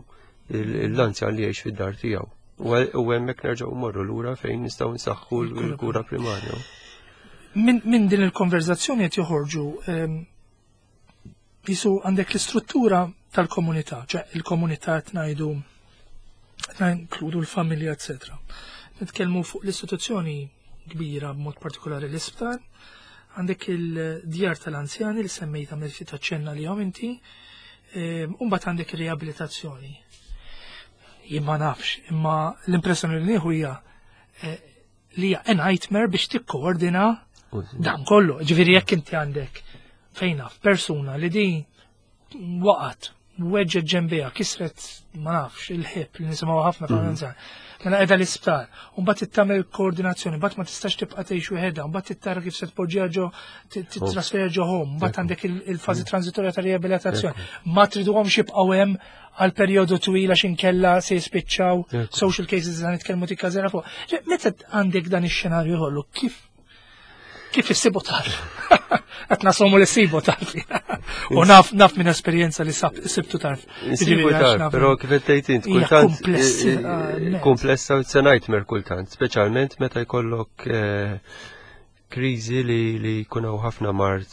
l-anzjan li jgħix fid-dar tiegħu. U hemmhekk nerġgħu morru lura fejn nistgħu nsaħħu l-kura primarja. Min din il-konverzazzjoni qed joħorġu jisu għandek l-istruttura tal-komunità, ċe il-komunità qed ngħidu qed inkludu l-familja, eccetera. Nitkellmu fuq l-istituzzjoni kbira b'mod partikolari l-isptar, għandek il-djar tal-anzjani li semmejta mill ftit aċċenna li inti, u mbagħad għandek ir-riabilitazzjoni. Jien ma nafx, imma l-impressjoni li nieħu hija li hija a nightmare biex tikkoordina dan kollu. Ġifieri jekk inti għandek fejn naf persuna li din waqgħet, weġġet ġenbejha, kisret ma nafx il-hip li nisimgħu ħafna tal-anzjan. Mela qiegħda l-isptar, u mbagħad tagħmel koordinazzjoni, mbagħad ma tistax tibqa' tgħix wieħedha, mbagħad tittara kif se tpoġġiha ġo titrasferja ġo home, mbagħad għandek il-fażi transitorja ta' riabilitazzjoni. Ma triduhomx jibqgħu hemm għal perjodu twil għax inkella se jispiċċaw social cases li nitkellmu tikkażera fuq. Meta għandek dan ix-xenarju kollu, kif issibu tarf? Qed nasomu li ssibu tarf. U naf naf minn esperjenza li sibtu tarf. Insibu tarf, però kif qed tgħid int kultant komplessa it's a nightmare kultant, speċjalment meta jkollok kriżi li jkun hawn ħafna mard,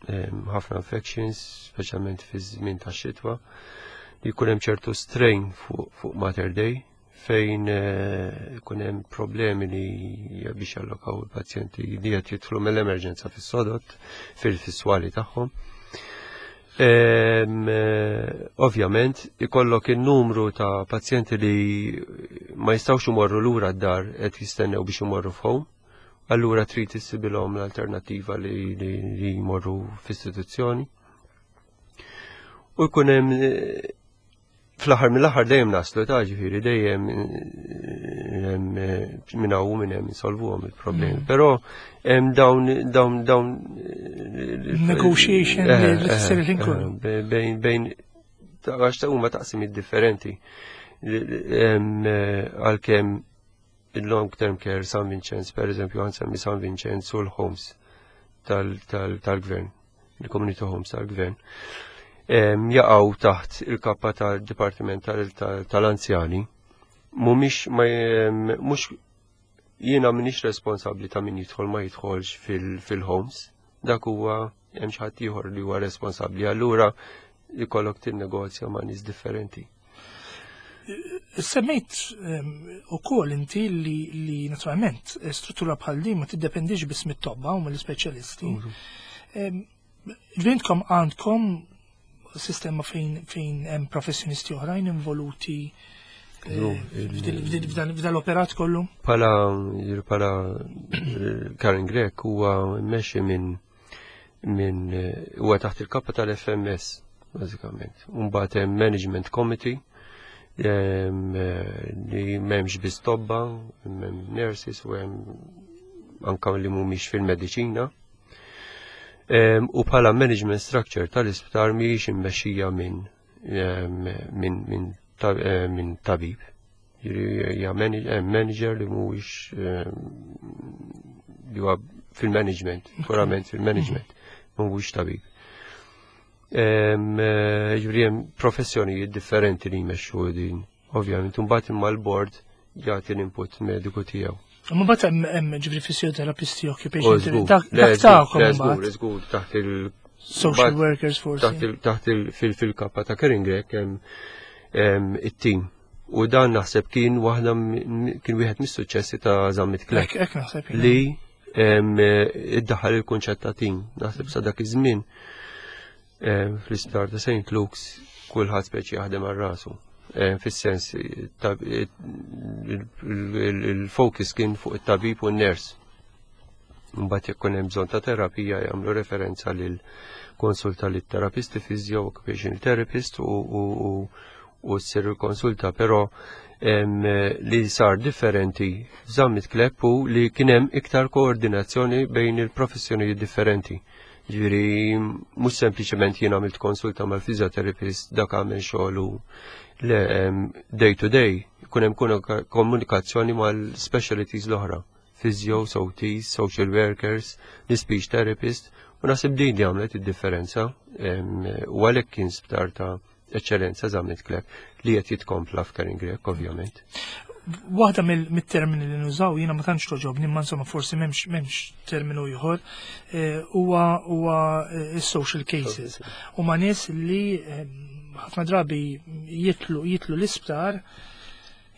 ħafna infections, speċjalment fi żmien ta' xitwa, li jkun hemm ċertu strain fuq Mater Dei fejn ikun hemm problemi li biex jallokaw il-pazjenti li qed jidħlu mill-emerġenza fis-sodot fil-fiswali tagħhom. Ovvjament, ikollok il-numru ta' pazjenti li ma jistgħux imorru lura d-dar qed jistennew biex imorru f'home. Allura trid issibilhom l-alternattiva li jmorru f'istituzzjoni. U jkun hemm fl-aħħar mill-aħħar dejjem naslu ta' ġifieri dejjem minn hawn minn hemm insolvuhom il-problemi. Però hemm dawn dawn dawn negotiation li tsir il-ħin kollu. Bejn bejn għax ta' huma taqsimiet differenti. Għalkemm il-long term care San Vincenz, per eżempju, għan semmi San Vincenz u l-homes tal-gvern, il-community homes tal-gvern. Jaqgħu taħt il-kappa tal-Dipartiment tal-Anzjani. Mhumiex mhux jiena m'iniex responsabbli ta' min jidħol ma jidħolx fil-homes. Dak huwa hemm xi ħadd ieħor li huwa responsabbli. Allura jkollok tinnegozja ma' nies differenti. Semmejt ukoll inti li naturalment struttura bħal din ma tiddependix biss mit-tobba u mill-ispeċjalisti. Ġvintkom għandkom sistema fejn hemm professjonisti oħrajn involuti f'dan l-operat kollu? Pala Karen Grech huwa mmexxi minn huwa taħt il-kappa tal-FMS bażikament. Mbagħad hemm Management Committee li m'hemmx biss tobba, hemm nurses u hemm anka li mhumiex fil-mediċina. U bħala management structure tal-isptar mhijiex immexxija minn tabib. Hija manager li mhuwiex li huwa fil-management, purament fil-management, mhuwiex tabib. Ġifieri hemm professjonijiet differenti li jmexxu din. Ovvjament, imbagħad imma l-board jagħti l-input mediku tiegħu. Ma bat hemm ġifieri fisioterapisti, occupation dak tagħkom. Żgur, żgur, taħt il- Social workers forsi. Taħt fil-kappa ta' Caring Grech hemm it-team. U dan naħseb kien waħda kien wieħed mis-suċċessi ta' Zammit Clapp. Hekk naħseb. Li iddaħħal il-kunċett ta' team. Naħseb sa dak iż-żmien fl-isptar ta' St. Luke's kulħadd speċi jaħdem għal rasu. Fis-sens il-focus kien fuq it-tabib u n-nurse. Mbagħad jekk hemm bżonn ta' terapija jagħmlu referenza lil konsulta lit terapisti physio, occupational therapist u ssir il-konsulta, però li sar differenti Zammit Clapp u li kien hemm iktar koordinazzjoni bejn il-professjonijiet differenti. Ġifieri, mhux sempliċement jien għamilt konsulta mal-physiotherapist, dak għamel xogħol le day to day, ikun hemm komunikazzjoni mal-specialties l-oħra. Physio, OTs, social workers, l-speech therapist, u naħseb din li għamlet id-differenza u għalhekk kien sptar ta' eċċellenza Zammit Clapp li qed jitkompla f'Karin Grech, ovvjament. Waħda mit-termini li nużaw jiena ma tantx toġobni, imma insomma forsi m'hemmx terminu ieħor, huwa social cases. Huma nies li ħafna drabi jitlu l-isptar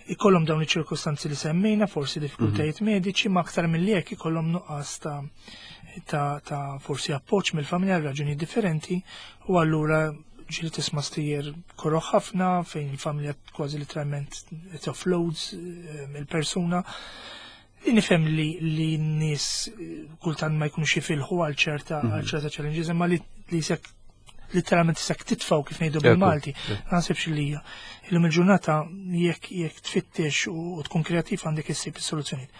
ikollhom dawn iċ-ċirkostanzi li semmejna, forsi diffikultajiet mediċi, ma aktar mill jekk ikollhom nuqqas ta' forsi appoġġ mill-familja għal raġuni differenti u allura ġieli tisma' stejjer koroh ħafna fejn il-familja kważi literalment it offloads il-persuna. Nifhem li n-nies kultant ma jkunux jifilħu għal ċerta challenges, imma li sekk literalment sekk titfaw kif ngħidu bil-Malti. Ma naħsibx li hija. Illum il-ġurnata jekk tfittex u tkun kreattiv għandek issib is-soluzzjonijiet.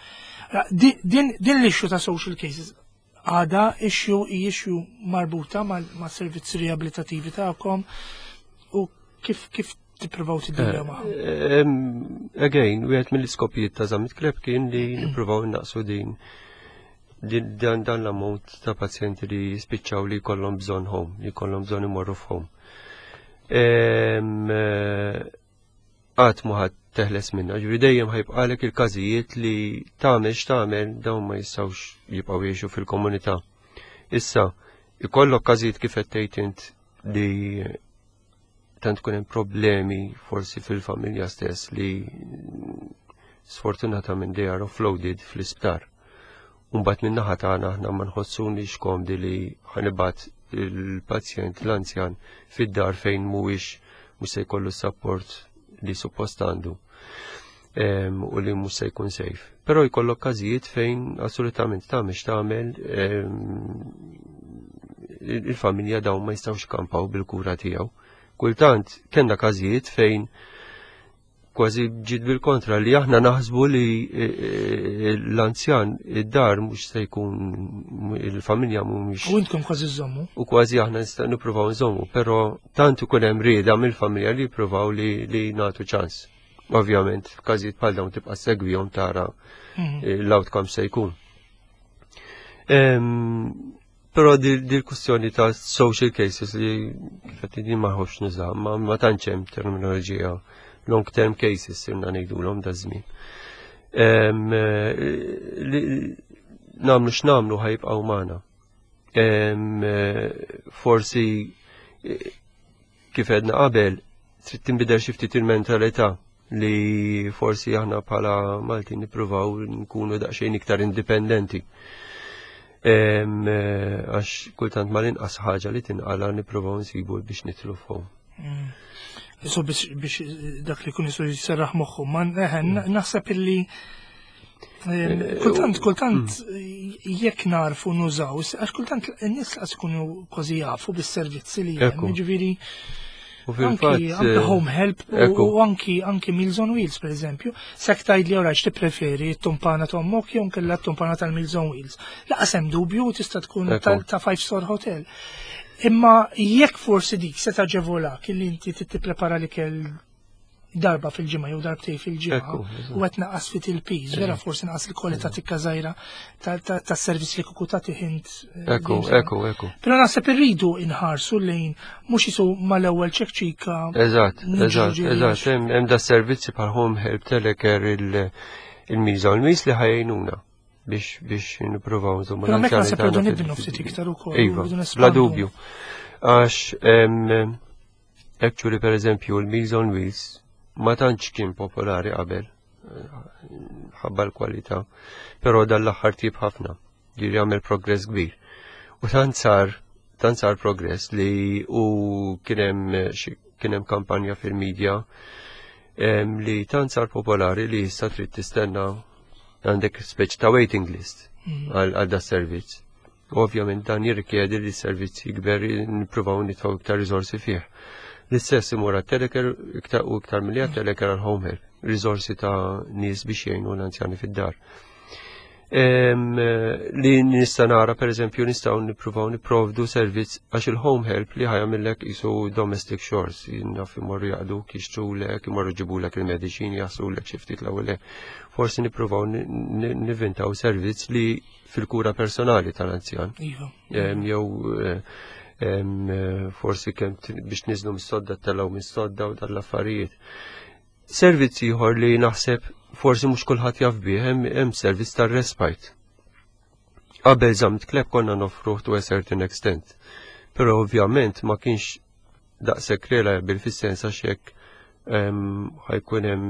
Din l-issue ta' social cases għada issue marbuta ma' servizzi riabilitativi tagħkom u kif tippruvaw tiddiljaw magħhom? Again, wieħed mill-iskopijiet ta' Zammit Clapp kien li nippruvaw naqsu din dan l-ammont ta' pazjenti li jispiċċaw li jkollhom bżonn home, li jkollhom bżonn imorru f'home. Qatt mhu ħa teħles minna, ġifieri dejjem ħa jibqagħlek il-każijiet li tagħmel x'tagħmel dawn ma jistgħux jibqgħu jgħixu fil-komunità. Issa, ikollok każijiet kif qed tgħid int li tant tkun hemm problemi forsi fil-familja stess li sfortunatament they are offloaded fl-isptar. Mbagħad min-naħa tagħna aħna ma nħossunix komdi li ħa nibgħat il-pazjent l-anzjan fid-dar fejn mhuwiex mhux se jkollu support li suppost għandu u li mhux se jkun safe. Però jkollok każijiet fejn assolutament tagħmel x'tagħmel il-familja dawn ma jistgħux kampaw bil-kura tiegħu. Kultant kellna każijiet fejn kważi ġiet bil-kontra li aħna naħsbu li l-anzjan id-dar mhux se jkun il-familja mhumiex. U intkom kważi żommu. U kważi aħna nista' nippruvaw nżommu, però tant ikun hemm rieda mill-familja li jippruvaw li nagħtu ċans. Ovvjament, f'każijiet bħal dawn tibqa' segwihom tara l-outcome se jkun. Però dil-kwistjoni ta' social cases li kif qed din ma ħobbx nuża, ma tantx hemm terminoloġija long term cases sirna ngħidulhom da żmien. Nagħmlu x'nagħmlu ħajbqgħu magħna. Forsi kif għedna qabel, trid tinbidel xi ftit il-mentalità li forsi aħna bħala Malti nippruvaw nkunu daqsxejn iktar indipendenti. Għax kultant mal-inqas ħaġa li tinqala nippruvaw nsibu biex nitlu fuq. So biex dak li kun jisu jserraħ moħħu, ma naħseb illi kultant, kultant jekk narfu nużaw, għax kultant n-nies laqas ikunu kważi jafu bis-servizzi li hemm, jiġifieri U fil-fatt anki home help u anki Meals on Wheels per eżempju, sek tgħid li ora tippreferi t-tumpana ta' ommok jew nkella t-tumpana tal-Meals on Wheels. Laqas hemm dubju tista' tkun ta' five star hotel. Imma jekk forsi dik se taġevolak illi inti tipprepara l-ikel darba fil-ġimgħa jew darbtej fil-ġimgħa u qed naqas fit il-piż, vera forsi naqas il-kwalità tikka żgħira tas-servizz li kuku tagħti ħint. Ekku, ekku, ekku. Però naħseb irridu inħarsu lejn mhux isu mal-ewwel ċekċika. Eżatt, eżatt, eżatt, hemm da servizzi bħal home help, telecare, il-miża u l-miż li ħajjnuna biex biex nippruvaw insomma. Però mekk naħseb irridu nibnu ftit iktar ukoll. Iva, bla dubju. Għax actually per eżempju l-Meals on Wheels ma tantx kien popolari qabel ħabba l-kwalità, però dan l-aħħar tip ħafna, ġiri għamel progress kbir. U tant sar progress li u kien hemm kampanja fil-medja li tant sar popolari li issa trid tistenna, għandek speċi ta' waiting list għal da servizz. Ovvjament dan jirrikjedi li s-servizz jikber, nippruvaw nitfgħu iktar riżorsi fih. L-istess imur għat-telecare iktar u iktar milli għat-telecare għal home help, riżorsi ta' nies biex jgħinu l-anzjani fid-dar. Li nista' nara, per eżempju, nistgħu nippruvaw nipprovdu servizz għax il-home help li ħa jagħmillek isu domestic chores, naf imorru jaqdu, jixtrulek, imorru jġibulek il-mediċini, jaħslulek xi ftit l-ewwel. Forsi nippruvaw nivvintaw servizz li fil-kura personali tal-anzjan. Jew forsi kemm biex niżlu mis-sodda, telgħu mis-sodda u dal-affarijiet. Servizz ieħor li naħseb forsi mhux kulħadd jaf bih, hemm servizz tar-respite. Qabel Zammit Clapp konna noffruh to a certain extent. Però ovvjament ma kienx daqshekk reliable fis-sens għax jekk ħa jkun hemm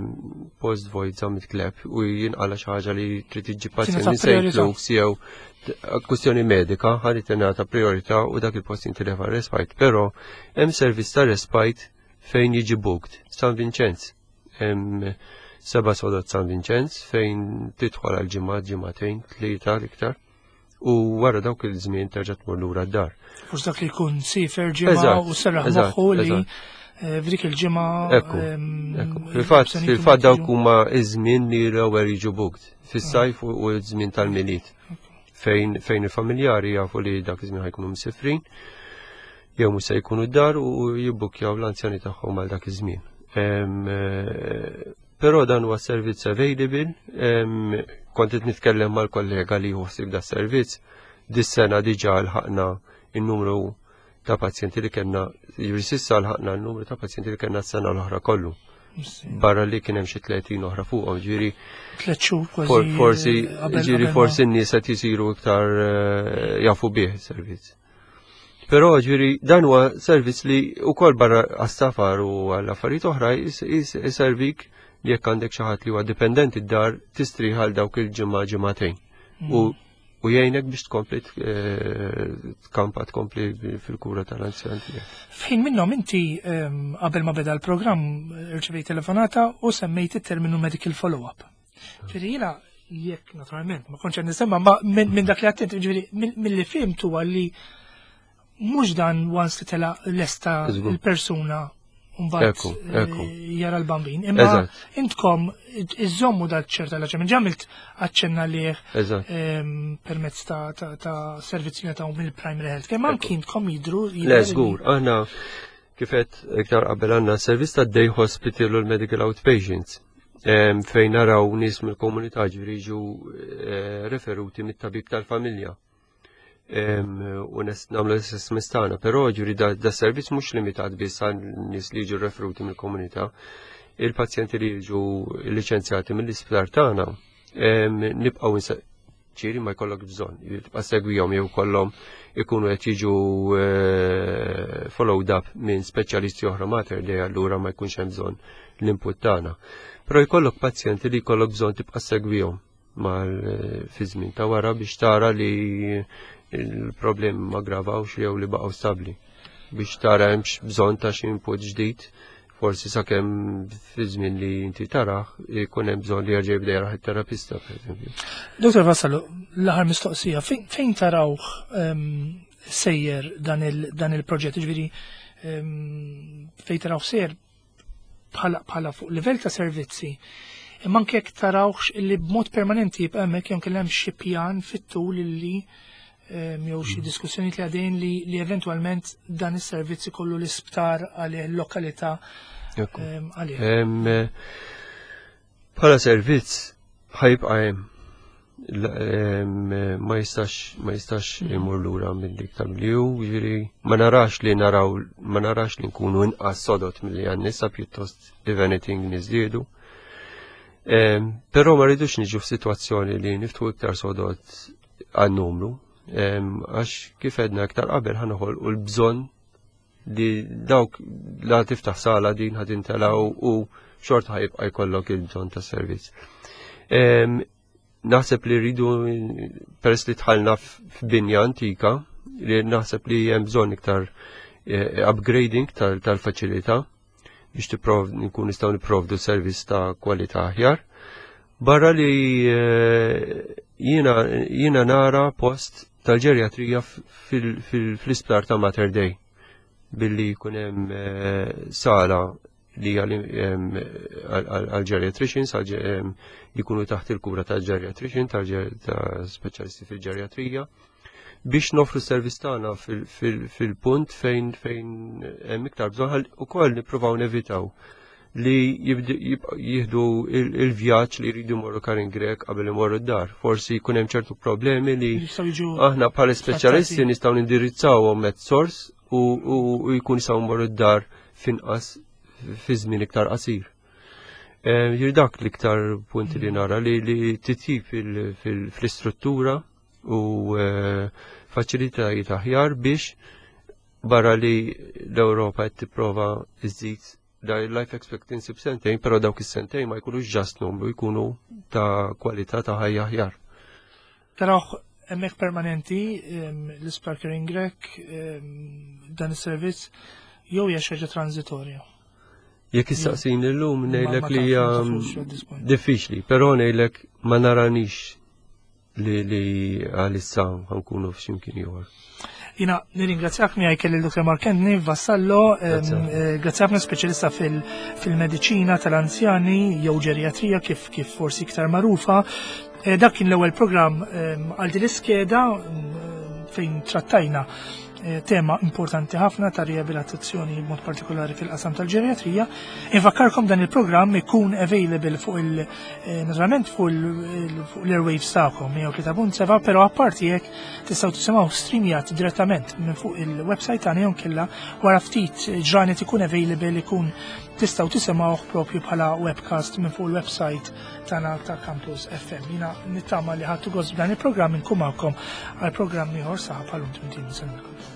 post void Zammit Clapp u jinqala xi ħaġa li trid iġġib pazjent minn St. Luke's jew kwistjoni medika, ħalli tingħata priorità u dak il-post jintilef għal respite. Però hemm servizz ta' respite fejn jiġi booked San Vincenz. Hemm seba' sodod San Vincenz fejn tidħol għal ġimgħa, ġimagħtejn, tlieta l-iktar. U wara dawk il-żmien terġa' tmur lura d-dar. Forsi dak li jkun sifer ġimgħa u serraħ moħħu li f'dik il-ġimgħa. Ekku, ekku. Fil-fatt dawk huma iż-żmien li l-ewwel jiġu booked fis-sajf u ż-żmien tal-Milied. Fejn il-familjari jafu li dak iż-żmien ħajkunu msifrin jew mhux se jkunu d-dar u jibbukjaw l-anzjani tagħhom għal dak iż-żmien. Però dan huwa servizz available, kont qed nitkellem mal-kollega li jħossib da servizz, dis-sena diġà lħaqna in-numru ta' pazjenti li kellna, jiġifieri s'issa lħaqna n-numru ta' pazjenti li kellna s-sena l-oħra kollu. Barra li kien hemm xi 30 oħra fuqhom, ġifieri 3 xhur kważi. Forsi, ġifieri forsi n-nies qed jisiru iktar jafu bih servizz. Però ġifieri dan huwa servizz li wkoll barra għas-safar u għall-affarijiet oħra jiservik li jekk għandek xi ħadd li huwa dipendenti d-dar tistrieħ għal dawk il-ġimgħa, ġimagħtejn. U jgħinek biex tkompli tkampa, tkompli fil-kura tal-anzjan tiegħek. F'ħin minnhom inti qabel ma beda l-programm irċevejt telefonata u semmejt it-terminu medical follow-up. Ġifieri jiena jekk naturalment ma kontx qed nisemma, ma minn dak li għattent, ġifieri mill-li fhimt huwa li mhux dan once li tela lesta il-persuna mbagħad jara l-bambin. Imma intkom iżommu dal ċerta l ġemil ġamilt aċċenna liħ permezz ta' servizzi li ta' mill-primary health. Kemm anki intkom jidru Le, żgur, aħna kifet iktar qabel għandna servizz ta' day hospital u l-medical outpatients. Fejn naraw nies mill-komunità, ġifieri jiġu referuti mit-tabib tal-familja. U nagħmlu l-assessments tagħna, però ġuri da servizz mhux limitat biss għal nies li jiġu referuti mill-komunità. Il-pazjenti li jiġu liċenzjati mill-isptar tagħna nibqgħu ċiri ma jkollok bżonn, tibqa' segwihom jew kollhom ikunu qed jiġu followed up minn speċjalisti oħra Mater Dei, allura ma jkunx hemm bżonn l-input tagħna. Però jkollok pazjenti li jkollok bżonn tibqa' segwihom mal fi żmien ta' wara biex tara li il-problemi ma gravawx jew li baqgħu stabbli, biex tara hemmx bżonn ta' xi input ġdid, forsi sakemm fi żmien li inti taraħ jkun hemm bżonn li jerġa' jibda jaraħ it-terapista, pereżempju. Dottor Vassallo, l-aħħar mistoqsija, fejn tarawh sejjer dan il-proġett, ġifieri fejn tarawh sejjer bħala fuq livell ta' servizzi, imma anke jekk tarawx illi b'mod permanenti jibqa' hemmhekk jew kellem xi pjan fit-tul illi jew xi diskussjonijiet li għadejn li eventwalment dan is-servizz ikollu l-isptar għalih, l-lokalità għalih. Bħala servizz ħajbqa' hemm. Ma jistax imur lura minn dik tal-li hu, ġifieri ma narax li naraw, ma narax li nkunu inqas sodod milli għandna issa, pjuttost if anything niżdiedu. Però ma rridux niġu f'sitwazzjoni li niftħu iktar sodod għan-numru, għax kif għedna iktar qabel ħa noħolqu l-bżonn li dawk la tiftaħ sala din ħa timtela u xorta ħajibqa' jkollok il-bżonn ta' servizz. Naħseb li rridu, peress li dħalna f'binja antika, li naħseb li hemm bżonn iktar upgrading tal-faċilità biex tipprov nkun nistgħu nipprovdu servizz ta' kwalità aħjar. Barra li jiena nara post tal-ġerjatrija fl-isptar ta' Mater Dei billi jkun hemm sala li għal-geriatricians, li jkunu taħt il-kura ta' geriatrician, ta' speċjalisti fil-ġerjatrija, biex nofru servizz tagħna fil-punt fejn hemm iktar bżonn ukoll nippruvaw nevitaw li jieħdu il-vjaġġ li jridu jmorru Karin Grech qabel imorru d-dar. Forsi jkun hemm ċertu problemi li aħna bħala speċjalisti nistgħu nindirizzawhom at source u jkun jistgħu jmorru d-dar finqas fi żmien iktar qasir. Jir dak l-iktar punti li nara li titjib fl-istruttura u faċilitajiet aħjar biex barra li l-Ewropa qed tipprova iżid da life expectancy b'sentejn, però dawk is-sentejn ma jkunux just numru, jkunu ta' kwalità ta' ħajja aħjar. Tarawh hemmhekk permanenti l-Isptar Karin Grech dan is-servizz jew hija xi ħaġa transitorja? Jekk issaqsini llum ngħidlek li hija diffiċli, però ngħidlek ma naranix li għalissa ħankunu f'ximkien ieħor. Jiena nirringrazzjak, miegħi kelli l-Dr. Mark Anthony Vassallo, grazzi ħafna, speċjalista fil-mediċina tal-anzjani jew ġeriatrija kif forsi iktar magħrufa. Dak kien l-ewwel programm għal din l-iskeda fejn trattajna tema importanti ħafna ta' riabilitazzjoni, mod partikolari fil-qasam tal-ġeriatrija. Infakkarkom dan il-programm ikun available fuq il naturalment fuq l-airwaves tagħkom 103.7, però apparti hekk tistgħu tisimgħu streamjat direttament minn fuq il-website tagħna jew kella wara ftit ġranet ikun available, ikun tistgħu tisimgħuh propju bħala webcast minn fuq il-website tagħna ta' Campus FM. Jiena nittama li ħadtu gost b'dan il-programm, inkun magħkom għal programm ieħor saħab għal-untum.